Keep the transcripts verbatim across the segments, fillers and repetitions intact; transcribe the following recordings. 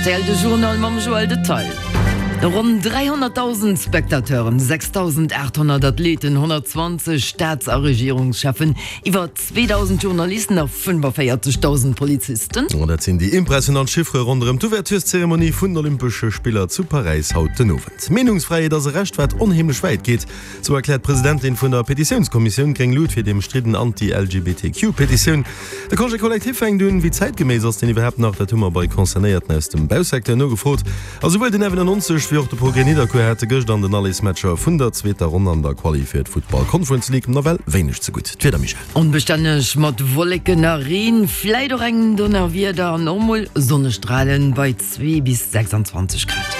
Rtl de Journal mam Joël Detail. Ronn dräihonnertdausend Spectateuren, sechsdausendachthonnert Athleten, honnertzwanzeg Staats a Regierungscheffen, iwwer zweedausend Journalisten a fënnefaviertegdausend Polizisten. Dat sinn déi impressionant Chiffere ronderëm d'Ouvertureszeremonie vun den Olympesche Spiller zu Paräis haut den Owend. Meenungsfräiheet ass e Recht, wat onheemlech wäit geet, sou erkläert d'Presidentin vun der Petitiounskommissioun Gréng Lut fir déi ëmstridden Anti-L G B T Q Petitioun. De Congé collectif fänkt un. Wéi zäitgeméiss ass deen iwwerhaapt nach? Dat hu mer bei Concernéierten aus dem Bausecteur nogefrot. A souwuel den F nonenneonzeg wéi och de Progrès Nidderkuer hate gëscht an den Allesmatcher vun der zweeter Ronn an der Quali fir d'Futtball Conference League nawell wéineg ze gutt. D'Wieder, Michèle? Onbestänneg mat Wolleken a Reen, vläit och engem Donnerwieder an och mol Sonnestralen bei zwee bis sechsanzwanzeg Grad.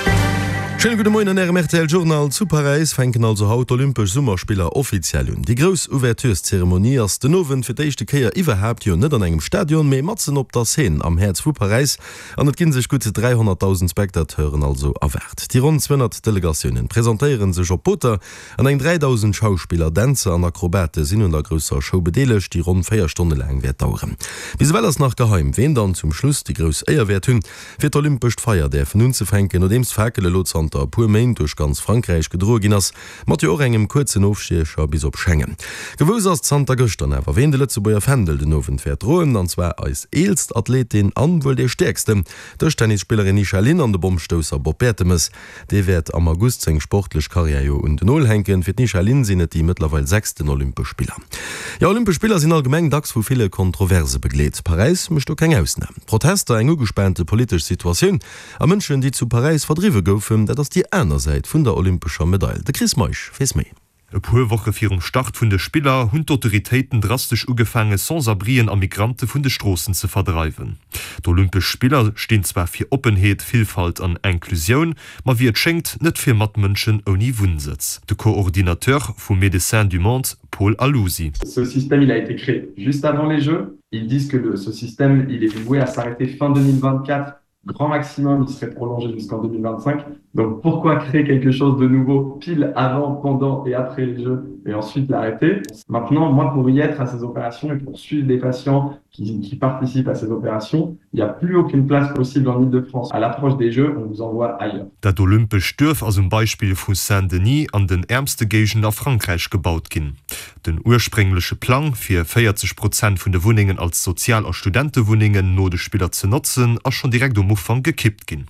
Schéine gudde Moien an Ärem R T L Journal. Zu Paräis fänken also haut d'Olympesch Summerspiller offiziell un. Déi grouss Ouvertureszeremonie ass den Owend fir d'éischte Kéier iwwerhaapt jo net an engem Stadion, mee matzen op der Seine am Häerz vu Paräis. An et gi sech gutt dräihonnertdausend Spectateuren also erwaart. Déi ronn zweehonnert Delegatiounen presentéiere sech op Booter an eng dräidausend Schauspiller, Dänzer an Akrobate sinn un der grousser Show bedeelegt, déi ronn véier Stonne laang wäert daueren. Bis ewell ass nach geheim, ween dann zum Schluss déi grouss Éier wäert hunn, fir d'olympescht Feier däerfen unzefänken, nodeems d'Fakel elo zanter e puer Méint duerch ganz Frankräich gedroe ginn ass, mat jo och engem kuerzen Ofstiecher bis op Schengen. Gewosst ass zanter gëschter awer, ween de Lëtzebuerger Fändel den Owend wäert droen, an zwar eis eelst Athletin an wuel déi stäerksten, d'Dëschtennisspillerin Nisha Lin an de Bommstousser Bob Bertemes. Dee wäert am August seng sportlech Karriär jo un den Nol hänken. Fir d'Nisha Lin sinn et déi mëttlerweil sechsten Olympesch Spiller. Jo, Olympesch Spiller sinn allgemeng dacks vu ville Kontroverse begleet. Paräis mécht do keng Ausnam. Protester, eng ugespaante politesch Situatioun a Mënschen, déi zu Paräis verdriwwe goufen, dat ass déi aner Säit vun der olympescher Medail. De Chris Meisch weess méi. E puer Woche virum Start vun de Spiller hunn d'Autoritéiten drastesch ugefaange Sans-abrien a Migrante vun de Stroossen ze verdreiwen. D'Olympesch Spiller stinn zwar fir Oppenheet, Villfalt an Inklusioun, ma wéi et schéngt net fir Matmënschen ouni Wunnsëtz. De Coordinateur vu Médecins du Monde, Paul Alusi. Ce système, il a été créé juste avant les Jeux. Ils disent que le, ce système, il est voué à s'arrêter fin deux mille vingt-quatre. Grand maximum, il serait prolongé jusqu'en deux mille vingt-cinq. Donc pourquoi créer quelque chose de nouveau pile avant, pendant et après les Jeux et ensuite l'arrêter? Maintenant, moi, pour y être à ces opérations et pour suivre des patients qui, qui participent à ces opérations, il n'y a plus aucune place possible en Île-de-France. À l'approche des Jeux, on vous envoie ailleurs. Dat olympescht Duerf ass um Beispill vu Saint-Denis an den äermste Géigenden a Frankräich gebaut ginn. Den urspréngleche Plang fir véierzeg Prozent vun de Wunnengen als Sozial- a Studentewunnengen no de Spiller ze notzen, ass schonn direkt um Ufank gekippt ginn.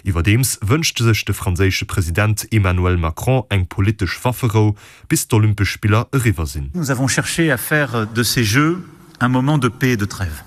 Iwwerdeems wënscht sech de franséische President Emmanuel Macron eng politesch Wafferou, bis d'Olympesch Spiller eriwwer sinn. Nous avons cherché à faire de ces Jeux un moment de paix et de trêve,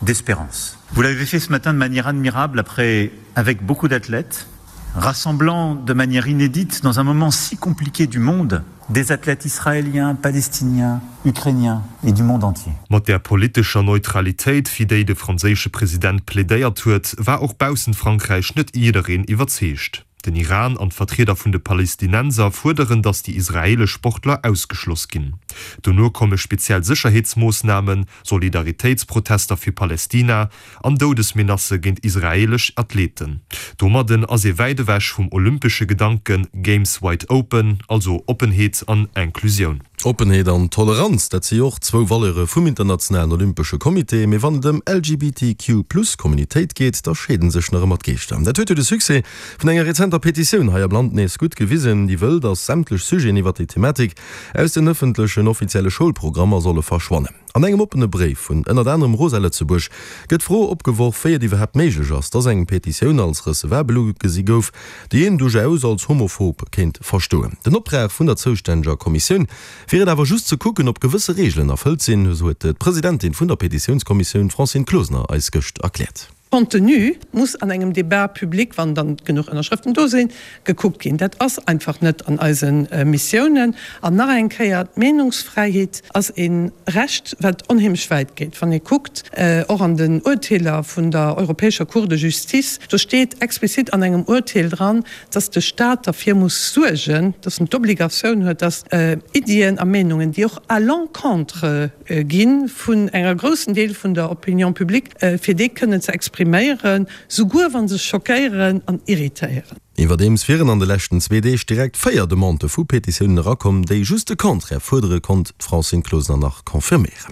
d'espérance. Vous l'avez fait ce matin de manière admirable après avec beaucoup d'athlètes, rassemblant de manière inédite dans un moment si compliqué du monde des athlètes israéliens, palestiniens, ukrainiens et du monde entier. Mat der politescher Neutralitéit, fir déi de franséische President plädéiert huet, war och baussent Frankräich net jiddereen iwwerzeegt. Den Iran an d'Vertrieder vun de Palästinenser fuerderen, datt déi israeelesch Sportler ausgeschloss ginn. Dono komme speziell Sécherheetsmoossnamen, Solidaritéitsprotester fir Palestina an Doudesmenacë géint israeelesch Athleten. Domadden ass ee wäit ewech vum olympesche Gedanken Games Wide Open, also Oppenheet an Inklusioun. Oppenheet an Toleranz, dat si jo och zwou Valeure vum internationalen olympesche Comité, mee wann et ëm L G B T Q plus Communitéit geet, da scheeden sech nach ëmmer d'Geeschter. Dat huet jo de Succès vun enger rezenter Petitioun hei am Land nees gutt gewisen, déi wëll, datt sämtlech Sujeten iwwer déi Thematik aus den ëffentlechen offizielle Schoulprogrammer solle verschwannen. An engem oppene Bréif vun ënnert anerem Rosa Lëtzebuerg gëtt d'Fro opgeworf, wéi et iwwerhaapt méiglech ass, datt eng Petitioun als recevabel ugesi gouf, déi een duerchaus als homophob kéint verstoen. Den Optrag vun der zoustänneger Kommissioun wier et awer just ze kucken, ob gewësse Reegelen erfëllt sinn, esou huet d'Presidentin vun der Petitiounskommissioun Francine Closener eis gëscht erkläert. Contenu muss an engem Débat public, wann dann genuch Ënnerschrëften do sinn, gekuckt ginn. Dat ass einfach net an eise Missiounen. An nach eng Kéier, d'Meenungsfräiheet ass e Recht, wat onheemlech wäit geet. Wann ee kuckt, och an den Urteeler vun der Europäescher Cour de Justice, do steet explizit an engem Urteel dran, dass de Staat derfir muss suergen, dass en d'Obligatioun huet, dass Iddien a Meenungen, déi och à l'encontre gi vun enger groussen Deel vun der Opinion publique, fir déi kënnen ze expriméieren, souguer wa se schockéieren an irritéieren. Iwwerdeems wieren an de leschten zwee Deeg direkt véier Demandë vu Petitiounen erakomm, déi just de Contraire fuerdere, konnt d'Francine Closener nach confirméieren.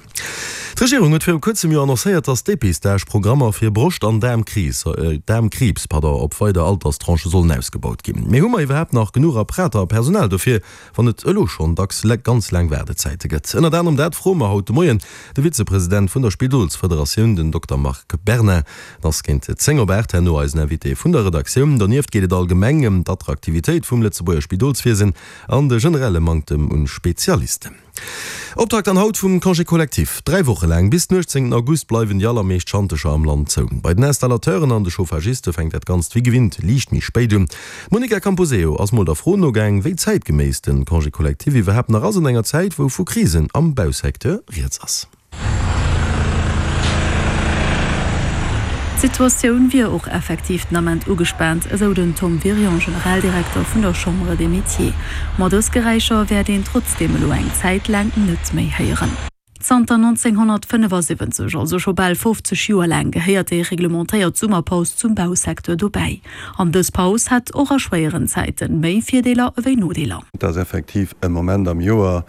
D'Regierung huet viru kuerzem jo annoncéiert, datt Depistage-Programmer fir Broscht an Daarmkriibs op weider Alterstranchë sollen ausgebaut ginn. Mee hu mer iwwerhaapt nach genuch Apparater a Personal dofir, wann et elo schonn dacks ganz laang Waardezäite gëtt? Ënnert anerem dat froe mer haut de Moien de Vizepresident vun der Spidolsfederatioun, den Dokter Marc Berna. En ass géint zéng op aacht herno eisen Invité vun der Redaktioun. Donieft geet et allgemeng ëm d'Attraktivitéit vum Lëtzebuerger Spidolswiesen an de generelle Manktem un Spezialisten. Optakt dann haut vum Congé collectif. Dräi Woche laang, bis den uechtzéngten August, bleiwen déi allermeescht Schantecher am Land zou. Bei den Installateuren an de Chauffagiste fänkt dat Ganzt wéi gewinnt liicht méi spéit un. D'Monica Camposeo ass mol der Fro nogaang, wéi zäitgeméiss de Congé collectif iwwerhaapt nach ass an enger Zäit, wou vu Krisen am Bausecteur rieds ass. D'Situatioun wier och effektiv den Ament ugespaant, esou den Tom Wirion, Generaldirekter vun der Chambre des Métiers. Ma dës Geräischer wäert een trotzdeem elo eng Zäit laang net méi héieren. Zanter nonzénghonnertfënnefasiwwenzeg, also scho bal fofzeg Joer laang, gehéiert déi reglementéiert Summerpaus zum Bausecteur dobäi. An dës Paus hätt och a schwéieren Zäiten méi Virdeeler ewéi Nodeeler. Et ass effektiv e Moment am Joer,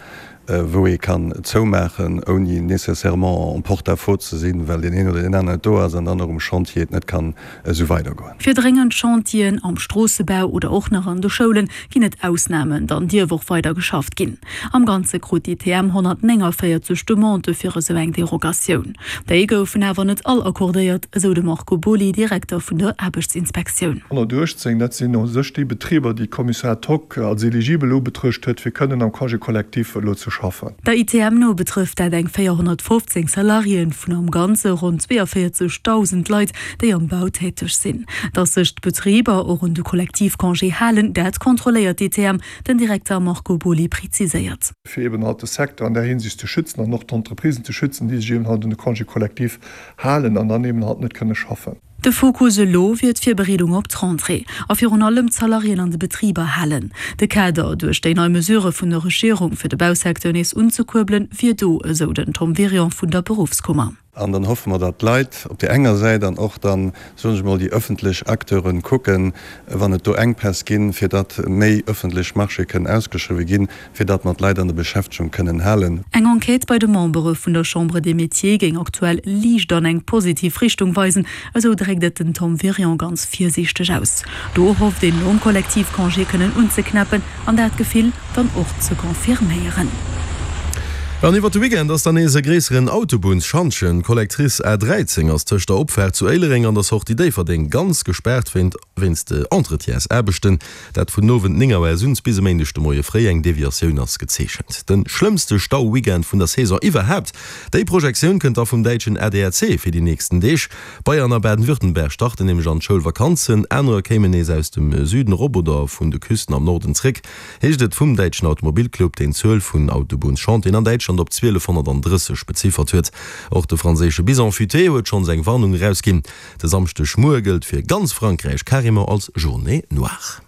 wou ee kann zoumaachen, ouni nécessairement en porte-à-faux ze sinn, well deen een oder deen aneren net do ass an dann och um Chantier et net kann esou weidergoen. Fir dréngend Chantieren am Stroossebau oder och nach an de Schoule ginn et Ausnamen, dann dierf och weider geschafft ginn. Am Ganze krut d'ITM honnertnénganvéierzeg Demandë fir esou eng Derogatioun. Déi goufen awer net all accordéiert, esou de Marco Boly, Direkter vun der Aarbechtsinspektioun. Honnertuechtzéng, dat sinn u sech déi Betriber, déi d'Kommissar ad hoc als eligibel ubetruecht huet, fir kënnen am Congé collectif elo ze schaffen. Der I T M no betrëfft dat eng véierhonnertfofzéng Salariéen vun am Ganze ronn zweeënvéierzegdausend Leit, déi am Bau täteg sinn. Datt sech d'Betriber och un de Kollektivcongé halen, dat kontrolléiert d'I T M, den Direkter Marco Boly preziséiert. Fir eben halt de Secteur an där Hinsicht ze schützen an och d'Entreprisen ze schützen, déi sech eben halt un de Congé collectif halen an dann eben halt net kënne schaffen. De Fokus elo wier d'Virbereedung op d'Rentrée a virun allem d'Salariéen an de Betriber halen. De Kader, duerch déi nei Mesurë vun der Regierung fir de Bausecteur nees unzekuerbelen, wier do, esou den Tom Wirion vun der Beruffskummer. An dann hoffe mer, datt d'Leit op där enger Säit an och dann, soen ech emol, déi ëffentlech Acteuren kucken, wann et do Enkpäss ginn, fir datt méi ëffentlech Marchéë kënnen ausgeschriwwe ginn, fir datt mer d'Leit an der Beschäftegung kënnen halen. Eng Enquête bei de Membere vun der Chambre des Métiers géing aktuell liicht an eng positiv Richtung weisen, esou dréckt et den Tom Wirion ganz virsiichteg aus. Do hofft een nom Kollektivcongé kënnen unzeknäppen an dat Gefill dann och ze confirméieren. An iwwer de Weekend ass dann nees e gréisseren Autobunnsschantjen. D'Collectrice A dräizéng ass tëscht der Opfaart zu Éilereng an der Sortie Déifferdeng ganz gespaart wéinst Entretiensaarbechten. Dat vun den Owend néng Auer suns bis e Méindeg de Moie fréi. Eng Deviatioun ass gezeechent. De schlëmmste Stau-Weekend vun der Saison iwwerhaapt, déi Projektioun kënnt da vum däitschen A D H C fir déi nächsten Deeg. Bayern a Baden-Württemberg starten nämlech an d'Schoulvakanzen. Anerer kéimen nees aus dem Süden erop oder vun de Küsten am Norden zréck, heescht et vum däitschen Automobilclub, deen d'Zuel vun Autobunnschantieren an Däitschland op zwielefhonnertdrësseg beziffert huet. Och de franséische Bison Futé huet schonns eng Warnung erausginn. De Samschdeg Muer gëllt fir ganz Frankräich carrément als Journée noire.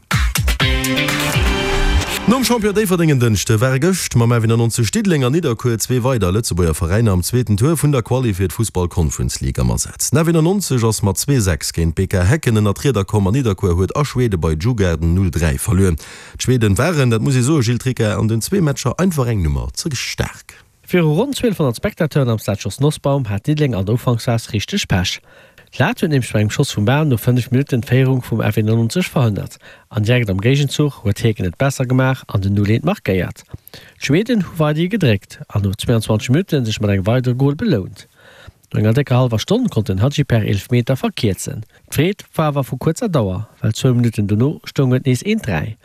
Nom Champion Déifferdeng en Dënschde ware gëscht mam F nonzeg Diddeleng an Nidderkuer zwee weider Lëtzebuerger Veräiner am zweeten Tour vun der Quali fir d'Fussball Conference League am Asaz. Den F nonzeg ass mat zwee, sechs géint B K Häcken ënner d'Rieder komm an Nidderkuer huet a Schwede bei Djurgården null, dräi verluer. D'Schweden waren, dat muss ee soen, Gilles Tricca, an den zwee Matcher einfach eng Nummer ze staark. Viru ronn zwielefhonnert Spectateuren am Stade Jos Nosbaum hat Diddeleng an der Ufanksphas richteg Pech. D'Lat huet nämlech bei engem Schoss vum Bam no fënnef Minutten d'Féierung vum F nonzeg verhënnert. An direkt am Géigenzuch huet Häcken et besser gemaach an den null eent markéiert. D'Schweden hu weiderhi gedréckt an no zweeanzwanzeg Minutte sech mat engem weidere Gol belount. No enger décker hallwer Stonn konnt den Hadji per Eelefmeter verkierzen. D'Freed war awer vu kuerzer Dauer, well zwou Minutten dono stoung et nees eent dräi.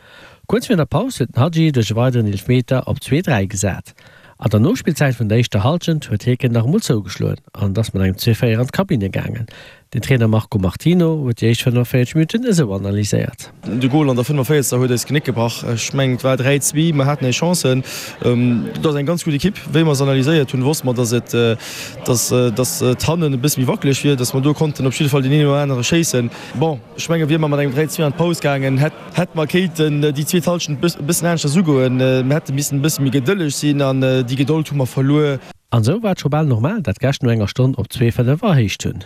Kuerz virun der Paus huet den Hadji duerch e weideren Eelefmeter op zwee dräi gesat. An der Nospillzäit vun der éischter Hallschent huet Häcken nach emol zougeschloen an ass mat engem zwee véier an d'Kabinne gaangen. Den Trainer Marco Martino huet déi éischt fënnefenvéierzeg Minutten esou analyséiert. De Gol an der fënnefenvéierzegster huet eis d'Genéck gebrach. Ech mengen, et war dräi zwee, mer haten eis Chancen. Dat ass eng ganz gutt Ekipp. Wéi mer se analyséiert hunn, wosste mer, dass et, dass, dass et hannen e bësse méi wackeleg wier, dass mer do konnten op jidde Fall deen een oder anere schéissen. Bon, ech menge wier mer mat engem dräi zwee an d'Paus gaangen, hätt, hätt mer kéinten déi zweet Hallschent e bëssen aneschters ugoen. Mer hätte missen e bësse méi gedëlleg sinn an déi Gedold hu mer verluer. An esou war et scho bal normal, dat d'Gäscht no enger Stonn op zwee fënnef erhéicht hunn.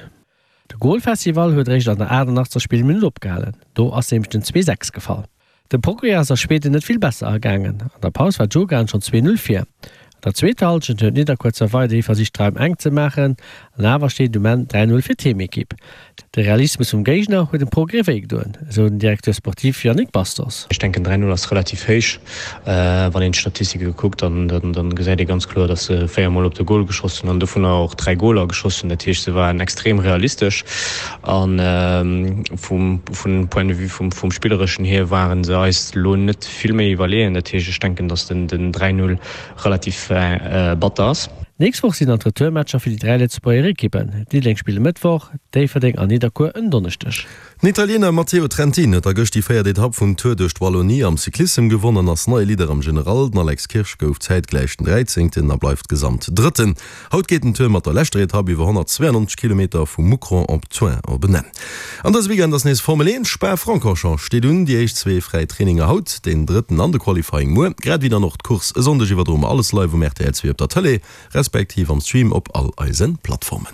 De Golfestival huet eréischt an der aachtundachtzeg Spillminutt opgehalen, do ass nämlech den zwee sechs gefall. Dem Progrès ass a Schweden net vill besser ergaangen. An der Paus war Djurgarden schonn zwee Null vir. An der zweeter Hallschent huet Nidderkuer zwar weiderhi versicht d'Raim enk ze maachen, an awer steet et um Enn dräi Null fir d'Heemekipp. De Realismus vum Géigner huet dem Progrès wéigedoen, esou den Directeur sportif Yannick Bastos. Ech denken dräi Null ass relativ héich. Wann een d'Statistike kuckt, dann gesäit ee ganz kloer, datt se véier Mol op de Gol geschoss hunn an dovunner och dräi Goler geschoss hunn. Dat heescht, se waren extrem realistesch a vum Point de vue vum Spillereschen hier ware se eis elo net vill méi iwwerleeën. Dat heescht, ech denken, datt den dräi Null relativ batter ass. D'nächst Woch sinn dann d'Retourmatcher fir déi dräi Lëtzebuerger Ekippen. Diddeleng spillt e Mëttwoch, Déifferdeng an Nidderkuer en Donneschdeg. Den Italiener Matteo Trentin huet da gëscht déi véiert Etapp vum Tour duerch d'Wallonie am Cyclissem gewonn an ass neie Leader am General. Den Alex Kirsch gouf zäitgläich den dräizéngten a bleift gesamt Drëtten. Haut geet den Tour mat der leschter Etapp iwwer honnertzweeënnonzeg Kilometer vu Moucron op Thuin op en Enn. An dëse Weekend ass nees Formel eent, Spa-Francorchamps steet un. Déi éischt zwee fräi Traininger haut, deen drëtten an de Qualifying muer, grad ewéi dann och d'Course e Sonndeg iwwerdroe mer alles live um rtl zwee op der Tëlee. Respektiv am Stream op all eisen Plattformen.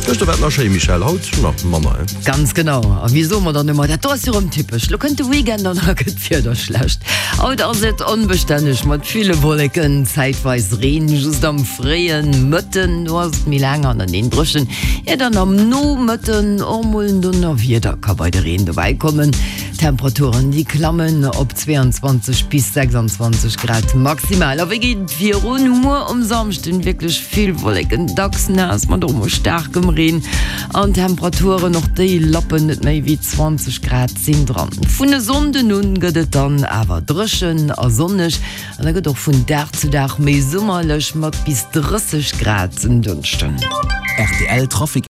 Gëschter war et nach schéi, Michèle, haut nach manner, hein? Ganz genau. A wéi soe mer dann ëmmer, dat do ass jo rëm typesch, lo kënnt de Weekend an da gëtt d'Wieder schlecht. Haut ass et onbestänneg mat ville Wolleken, zäitweis Reen just am fréie Mëtten, do ass et méi laang aneneen dréchen, ier dann am Nomëtten och mol en Donnerwieder ka bei de Reen dobäi kommen. D'Temperaturen, déi klammen op zweiundzwanzeg bis sechsundzwanzeg Grad maximal. A wéi geet et virun? Muer um Samschden wierklech vill Wolleken, dacks naass mat och mol staarkem Reen an Temperaturen, och déi lappen net méi wéi zwanzeg Grad sinn dran. Vun e Sonnden un gëtt et dann awer dréchen a sonneg an da gëtt och vun Dag zu Dag méi summerlech mat bis drësseg Grad en Dënschden. Rtl Trafic.